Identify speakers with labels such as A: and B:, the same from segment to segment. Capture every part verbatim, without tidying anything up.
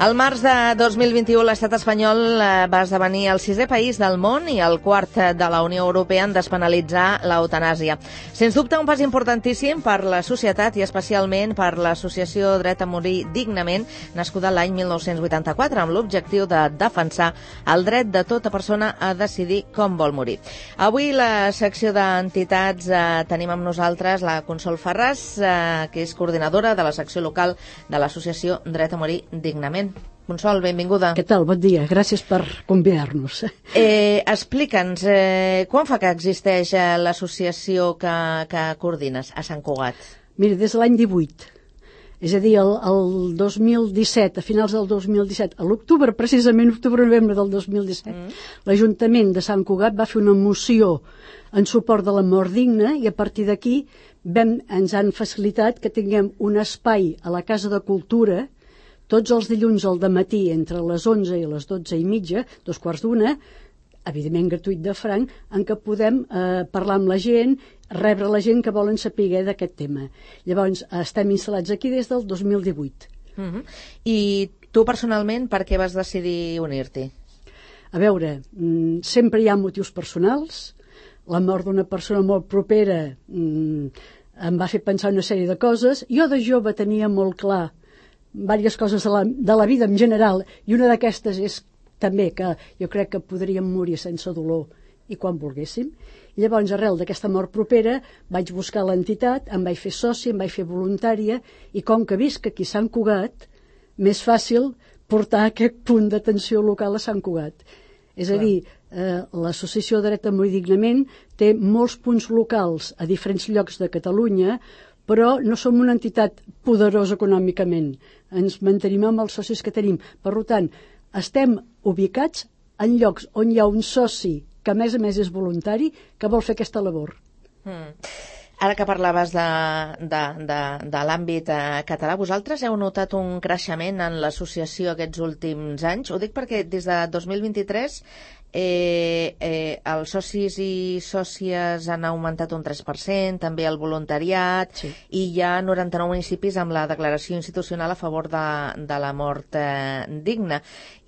A: Al març de dos mil vint-i-u, l'estat espanyol va esdevenir el sisè país del món i el quart de la Unió Europea en despenalitzar l'eutanàsia. Sens dubte, un pas importantíssim per la societat i especialment per l'associació Dret a Morir Dignament, nascuda l'any mil nou-cents vuitanta-quatre, amb l'objectiu de defensar el dret de tota persona a decidir com vol morir. Avui, la secció d'entitats, eh, tenim amb nosaltres la Consol Ferràs, eh, que és coordinadora de la secció local de l'associació Dret a Morir Dignament. Consol, benvinguda.
B: Què tal? Bon dia. Gràcies per convidar-nos.
A: Eh, Explica'ns, eh, quan fa que existeix eh, l'associació que, que coordines a Sant Cugat?
B: Mira, des de l'any divuit. És a dir, el, el dos mil disset, a finals del dos mil disset, a l'octubre, precisament octubre-novembre del dos mil disset, mm. l'Ajuntament de Sant Cugat va fer una moció en suport de la mort digna i a partir d'aquí vam, ens han facilitat que tinguem un espai a la Casa de Cultura tots els dilluns al dematí entre les onze i les dotze i mitja, dos quarts d'una, evidentment gratuït de franc, en què podem eh, parlar amb la gent, rebre la gent que volen saber d'aquest tema. Llavors, estem instal·lats aquí des del dos mil divuit.
A: Uh-huh. I tu personalment per què vas decidir unir-t'hi?
B: A veure, sempre hi ha motius personals. La mort d'una persona molt propera em va fer pensar una sèrie de coses. Jo de jove tenia molt clar diverses coses de la, de la vida en general, i una d'aquestes és també que jo crec que podríem morir sense dolor i quan volguéssim. I llavors, arrel d'aquesta mort propera, vaig buscar l'entitat, em vaig fer soci, em vaig fer voluntària, i com que visc aquí a Sant Cugat, més fàcil portar aquest punt d'atenció local a Sant Cugat. És a dir, eh, l'associació Dret a Morir Dignament té molts punts locals a diferents llocs de Catalunya, però no som una entitat poderosa econòmicament. Ens mantenim amb els socis que tenim. Per tant, estem ubicats en llocs on hi ha un soci que a més a més és voluntari que vol fer aquesta labor.
A: Mm. Ara que parlaves de, de, de, de l'àmbit eh, català, vosaltres heu notat un creixement en l'associació aquests últims anys? Ho dic perquè des de dos mil vint-i-tres eh, eh, els socis i sòcies han augmentat un tres per cent, també el voluntariat, sí. I hi ha noranta-nou municipis amb la declaració institucional a favor de, de la mort eh, digna,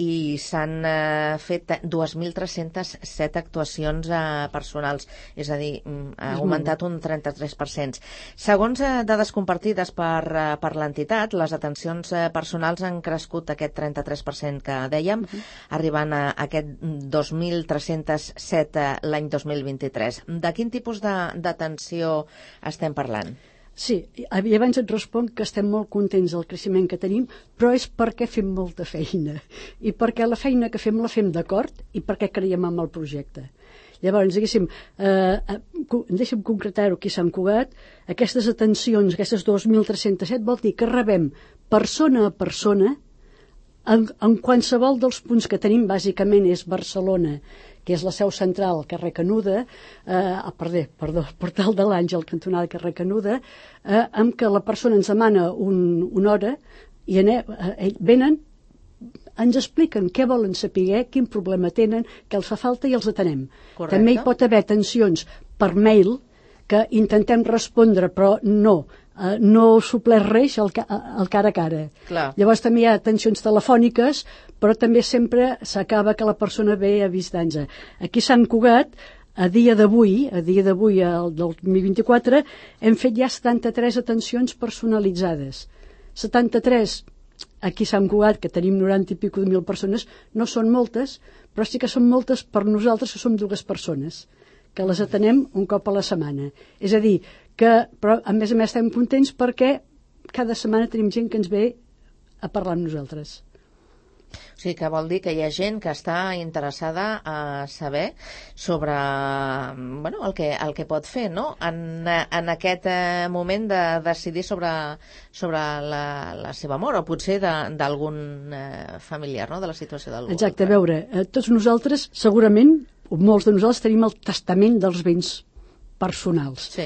A: i s'han eh, fet dos mil tres-cents set actuacions eh, personals, és a dir, ha augmentat un trenta-tres per cent. Segons eh, dades compartides per, eh, per l'entitat, les atencions eh, personals han crescut aquest trenta-tres per cent que dèiem, uh-huh. arribant a aquest dos mil tres-cents set eh, l'any dos mil vint-i-tres. De quin tipus d'atenció estem parlant?
B: Sí, i abans et responc que estem molt contents del creixement que tenim, però és perquè fem molta feina, i perquè la feina que fem la fem d'acord i perquè creiem en el projecte. Llavors, diguéssim, eh, deixa'm concretar-ho aquí a Sant Cugat, aquestes atencions, aquestes dos mil tres-cents set, vol dir que rebem persona a persona en, en qualsevol dels punts que tenim. Bàsicament és Barcelona, que és la seu central, carrer Canuda, eh, perdó, perdó, Portal de l'Àngel, cantonada carrer Canuda, eh, amb què la persona ens demana un, una hora i anem, eh, venen, ens expliquen què volen saber, quin problema tenen, què els fa falta i els atenem. Correcte. També hi pot haver atencions per mail que intentem respondre, però no, eh, no supleix res al, al cara a cara.
A: Clar. Llavors
B: també hi ha atencions telefòniques, però també sempre s'acaba que la persona ve a visitar-nos. Aquí a Sant Cugat, a dia d'avui, a dia d'avui, el del dos mil vint-i-quatre, hem fet ja setanta-tres atencions personalitzades. setanta-tres aquí a Sant Cugat, que tenim noranta i pico de mil persones, no són moltes, però sí que són moltes per nosaltres, que som dues persones, que les atenem un cop a la setmana. És a dir, que, però a més a més estem contents perquè cada setmana tenim gent que ens ve a parlar amb nosaltres.
A: O sigui, que vol dir que hi ha gent que està interessada a saber sobre bueno, el, que, el que pot fer, no? En, en aquest eh, moment de decidir sobre, sobre la, la seva mort, o potser d'algun eh, familiar, no?, de la situació d'algú.
B: Exacte, a veure, eh, tots nosaltres, segurament, molts de nosaltres tenim el testament dels béns personals,
A: sí.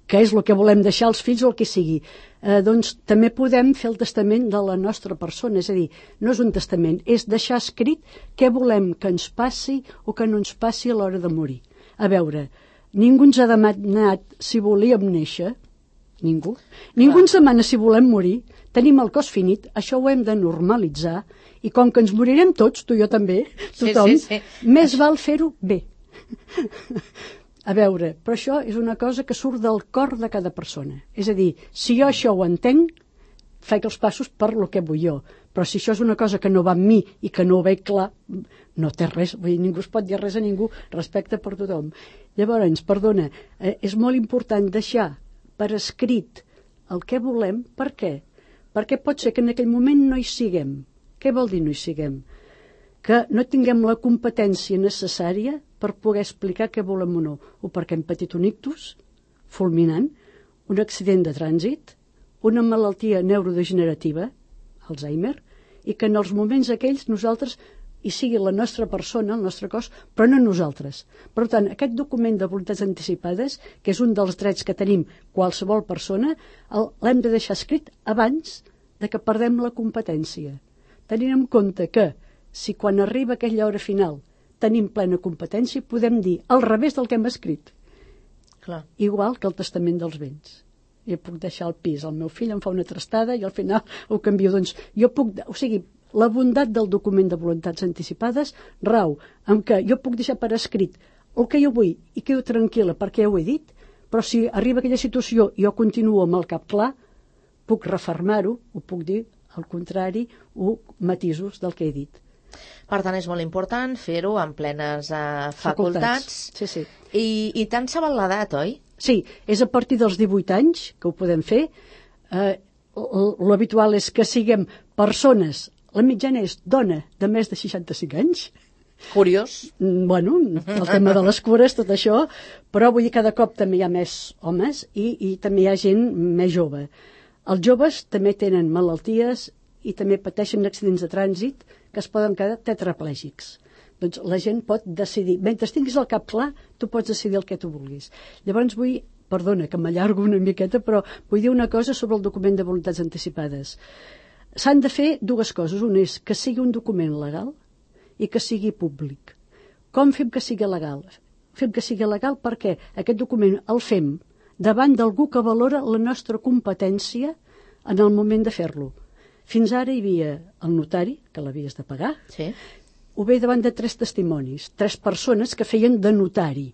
B: que és el que volem deixar als fills o el que sigui. Eh, doncs també podem fer el testament de la nostra persona, és a dir, no és un testament, és deixar escrit què volem que ens passi o que no ens passi a l'hora de morir. A veure, ningú ens ha demanat si volíem néixer, Ningú. Ningú ens demana si volem morir. Tenim el cos finit, això ho hem de normalitzar, i com que ens morirem tots, tu i jo també, tothom,
A: sí, sí, sí.
B: més val fer-ho bé. A veure, però això és una cosa que surt del cor de cada persona. És a dir, si jo això ho entenc, faig els passos per lo que vull jo. Però si això és una cosa que no va amb mi i que no ho veig clar, no té res, vull dir, ningú es pot dir res a ningú, respecte per tothom. Llavors, perdona, eh, és molt important deixar per escrit el que volem. Per què? Perquè pot ser que en aquell moment no hi siguem. Què vol dir no hi siguem? Que no tinguem la competència necessària per poder explicar què volem o no, o perquè hem patit un ictus fulminant, un accident de trànsit, una malaltia neurodegenerativa, Alzheimer, i que en els moments aquells nosaltres hi sigui la nostra persona, el nostre cos, però no nosaltres. Per tant, aquest document de voluntats anticipades, que és un dels drets que tenim qualsevol persona, l'hem de deixar escrit abans de que perdem la competència. Tenint en compte que si quan arriba aquella hora final tenim plena competència, podem dir al revés del que hem escrit.
A: Clar.
B: Igual que el testament dels béns. Jo puc deixar el pis, el meu fill em fa una trastada i al final ho canvio. Doncs jo puc, o sigui, la bondat del document de voluntats anticipades rau en què jo puc deixar per escrit el que jo vull i quedo tranquil·la perquè ja ho he dit, però si arriba aquella situació i jo continuo amb el cap clar, puc refermar-ho, ho puc dir al contrari, o matisos del que he dit.
A: Per tant, és molt important fer-ho en plenes uh, facultats.
B: facultats. Sí, sí.
A: I, i tant se val l'edat, oi?
B: Sí, és a partir dels divuit anys que ho podem fer. Eh, L'habitual és que siguem persones, la mitjana és dona de més de seixanta-cinc anys.
A: Curiós.
B: Bueno, el tema de les cures, tot això, però vull dir, cada cop també hi ha més homes i, i també hi ha gent més jove. Els joves també tenen malalties i també pateixen accidents de trànsit que es poden quedar tetraplègics. Doncs la gent pot decidir, mentre tinguis el cap clar, tu pots decidir el que tu vulguis. Llavors vull, perdona que m'allargo una miqueta, però vull dir una cosa sobre el document de voluntats anticipades. S'han de fer dues coses. Una és que sigui un document legal i que sigui públic. Com fem que sigui legal? Fem que sigui legal perquè aquest document el fem davant d'algú que valora la nostra competència en el moment de fer-lo. Fins ara hi havia el notari, que l'havies de pagar,
A: sí.
B: Ho ve davant de tres testimonis, tres persones que feien de notari.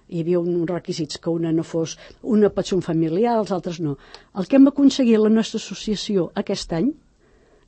B: Hi havia uns requisits, que una no fos, una pot ser un familiar, els altres no. El que hem aconseguit la nostra associació aquest any,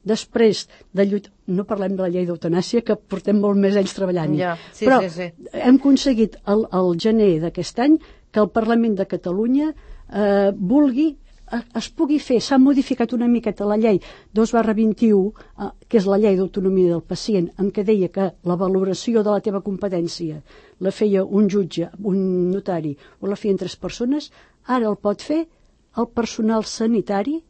B: després de lluitar, no parlem de la llei d'eutanàsia, que portem molt més anys treballant,
A: ja, sí,
B: però
A: sí, sí.
B: hem aconseguit el, el gener d'aquest any que el Parlament de Catalunya eh, vulgui es pugui fer, s'ha modificat una miqueta la llei dos barra vint-i-u, eh, que és la llei d'autonomia del pacient, en què deia que la valoració de la teva competència la feia un jutge, un notari, o la feien tres persones, ara el pot fer el personal sanitari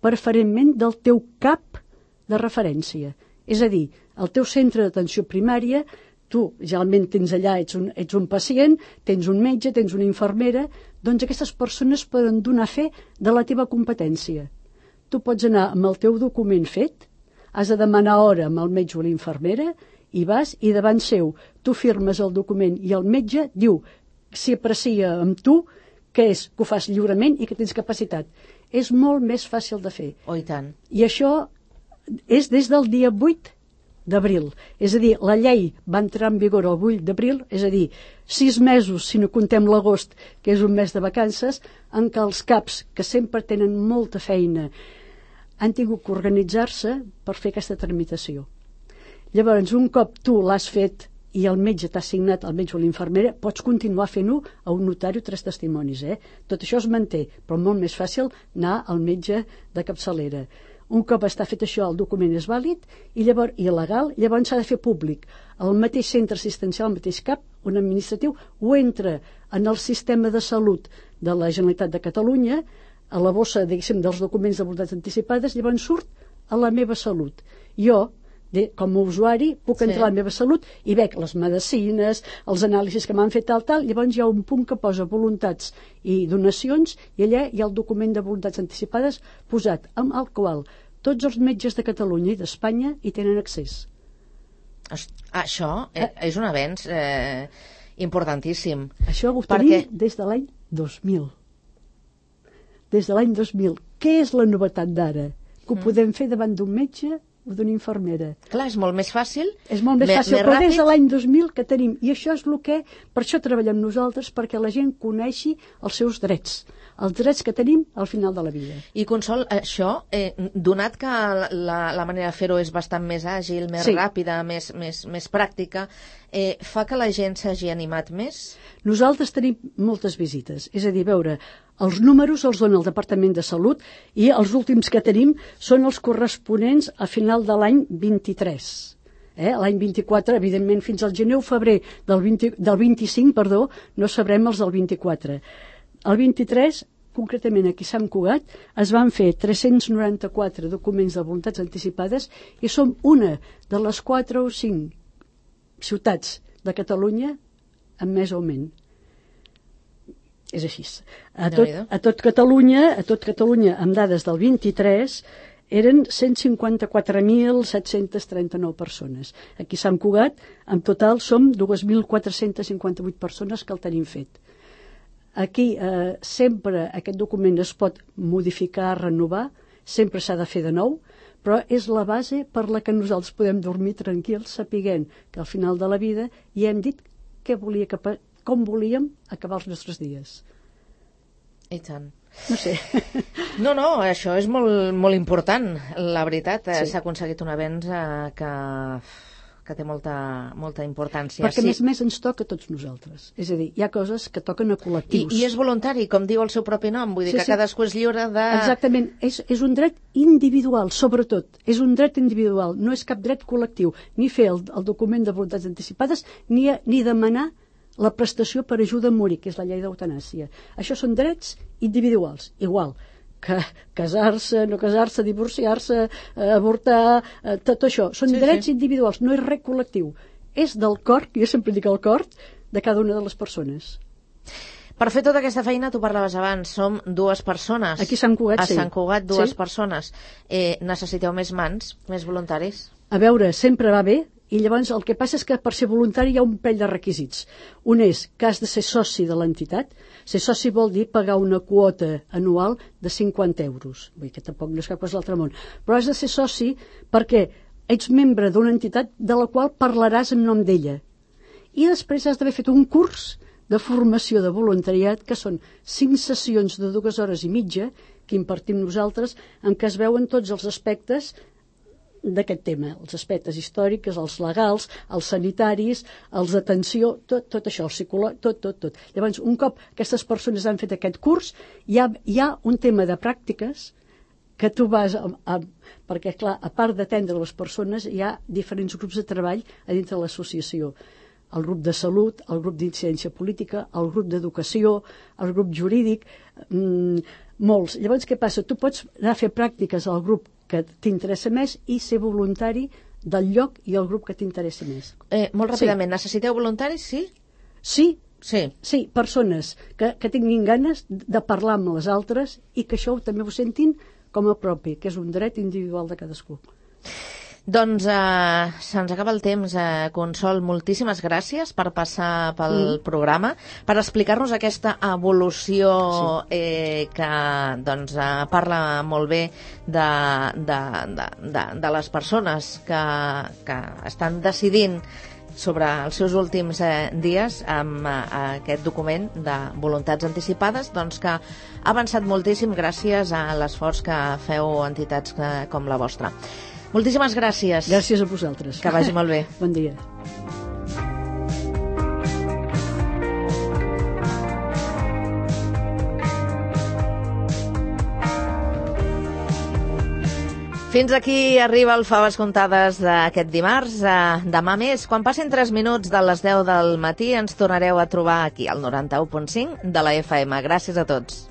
B: preferentment del teu cap de referència. És a dir, el teu centre d'atenció primària, tu generalment tens allà, ets un, ets un pacient, tens un metge, tens una infermera, doncs aquestes persones poden donar fe de la teva competència. Tu pots anar amb el teu document fet, has de demanar hora amb el metge o l'infermera, i vas, i davant seu tu firmes el document i el metge diu si aprecia amb tu que és que ho fas lliurement i que tens capacitat. És molt més fàcil de fer.
A: Oh, i tant.
B: I això és des del dia vuit d'abril. És a dir, la llei va entrar en vigor el vuit d'abril, és a dir, sis mesos, si no contem l'agost, que és un mes de vacances, en què els caps, que sempre tenen molta feina, han tingut que organitzar-se per fer aquesta tramitació. Llavors, un cop tu l'has fet i el metge t'ha assignat, el metge o l'infermera, pots continuar fent-ho a un notari o tres testimonis. Eh? Tot això es manté, però molt més fàcil anar al metge de capçalera. Un cop està fet això, el document és vàlid i llavors i legal, llavors s'ha de fer públic. El mateix centre assistencial, el mateix cap, un administratiu, ho entra en el sistema de salut de la Generalitat de Catalunya, a la bossa, diguéssim, dels documents de voluntats anticipades, llavors surt a la meva salut. Jo, de, com a usuari, puc entrar sí. a la meva salut i veig les medicines, els anàlisis que m'han fet tal, tal, llavors hi ha un punt que posa voluntats i donacions i allà hi ha el document de voluntats anticipades posat, amb el qual tots els metges de Catalunya i d'Espanya hi tenen accés.
A: Això eh, és un avenç eh, importantíssim.
B: Això ho
A: perquè...
B: tenim des de l'any dos mil. des de l'any dos mil. Què és la novetat d'ara? Que ho mm. podem fer davant d'un metge o d'una infermera.
A: Clar, és molt més fàcil.
B: És molt més fàcil, però des de l'any dos mil que tenim. I això és el que, per això treballem nosaltres, perquè la gent coneixi els seus drets. Els drets que tenim al final de la vida.
A: I Consol, això, eh, donat que la, la manera de fer-ho és bastant més àgil, més sí. ràpida, més, més, més pràctica, eh, fa que la gent s'hagi animat més?
B: Nosaltres tenim moltes visites. És a dir, veure, els números els dona el Departament de Salut i els últims que tenim són els corresponents a final de l'any vint-i-tres. Eh? L'any vint-i-quatre, evidentment, fins al gener o febrer del, vint, del vint-i-cinc, perdó, no sabrem els del vint-i-quatre. El vint-i-tres, concretament aquí a Sant Cugat, es van fer tres-cents noranta-quatre documents de voluntats anticipades i som una de les quatre o cinc ciutats de Catalunya amb més augment. És així. A tot, a tot Catalunya, a tot Catalunya, amb dades del vint-i-tres, eren cent cinquanta-quatre mil set-cents trenta-nou persones. Aquí a Sant Cugat, en total, som dos mil quatre-cents cinquanta-vuit persones que el tenim fet. Aquí eh, sempre aquest document es pot modificar, renovar, sempre s'ha de fer de nou, però és la base per la que nosaltres podem dormir tranquils, sapiguent que al final de la vida ja hem dit què volia, com volíem acabar els nostres dies.
A: I tant.
B: No sé.
A: No, no, això és molt, molt important, la veritat.
B: Sí.
A: S'ha aconseguit un avenç eh, que... que té molta, molta importància.
B: Perquè,
A: sí.
B: a més a més, ens toca a tots nosaltres. És a dir, hi ha coses que toquen a col·lectius.
A: I, i és voluntari, com diu el seu propi nom, vull dir sí, que sí. cadascú és lliure de...
B: Exactament, és, és un dret individual, sobretot. És un dret individual, no és cap dret col·lectiu. Ni fer el, el document de voluntats anticipades, ni, ni demanar la prestació per ajuda a morir, que és la llei d'eutanàsia. Això són drets individuals, igual. Que casar-se, no casar-se, divorciar-se, eh, avortar, eh, tot això. Són sí, drets sí. individuals, no és res col·lectiu. És del cor, jo sempre dic el cor, de cada una de les persones.
A: Per fer tota aquesta feina, tu parlaves abans, som dues persones.
B: Aquí a Sant Cugat,
A: a
B: sí.
A: A Sant Cugat, dues
B: sí.
A: persones. Eh, necessiteu més mans, més voluntaris?
B: A veure, sempre va bé, i llavors el que passa és que per ser voluntari hi ha un parell de requisits. Un és que has de ser soci de l'entitat. Ser soci vol dir pagar una quota anual de cinquanta euros. Vull dir que tampoc no és cap cosa de l'altre món. Però has de ser soci perquè ets membre d'una entitat de la qual parlaràs en nom d'ella. I després has d'haver fet un curs de formació de voluntariat, que són cinc sessions de dues hores i mitja que impartim nosaltres, en què es veuen tots els aspectes d'aquest tema, els aspectes històrics, els legals, els sanitaris, els d'atenció, tot, tot això, el psicològic, tot, tot, tot. Llavors, un cop aquestes persones han fet aquest curs, hi ha, hi ha un tema de pràctiques que tu vas a, a, perquè, clar, a part d'atendre les persones, hi ha diferents grups de treball a dintre de l'associació. El grup de salut, el grup d'incidència política, el grup d'educació, el grup jurídic, mmm, molts. Llavors, què passa? Tu pots anar a fer pràctiques al grup que t'interessa més i ser voluntari del lloc i el grup que t'interessa més.
A: Eh, molt ràpidament, sí. Necessiteu voluntaris, sí?
B: Sí,
A: sí,
B: sí, persones que, que tinguin ganes de parlar amb les altres i que això també ho sentin com a propi, que és un dret individual de cadascú.
A: Doncs eh, se'ns acaba el temps, eh, Consol. Moltíssimes gràcies per passar pel mm. programa, per explicar-nos aquesta evolució sí. eh, que doncs, eh, parla molt bé de, de, de, de, de les persones que, que estan decidint sobre els seus últims eh, dies amb eh, aquest document de voluntats anticipades, doncs que ha avançat moltíssim gràcies a l'esforç que feu entitats eh, com la vostra. Moltíssimes gràcies.
B: Gràcies a vosaltres.
A: Que vagi molt bé.
B: Bon dia.
A: Fins aquí arriba el Faves Comptades d'aquest dimarts. Demà més, quan passin tres minuts de les deu del matí, ens tornareu a trobar aquí al noranta-u punt cinc de la F M. Gràcies a tots.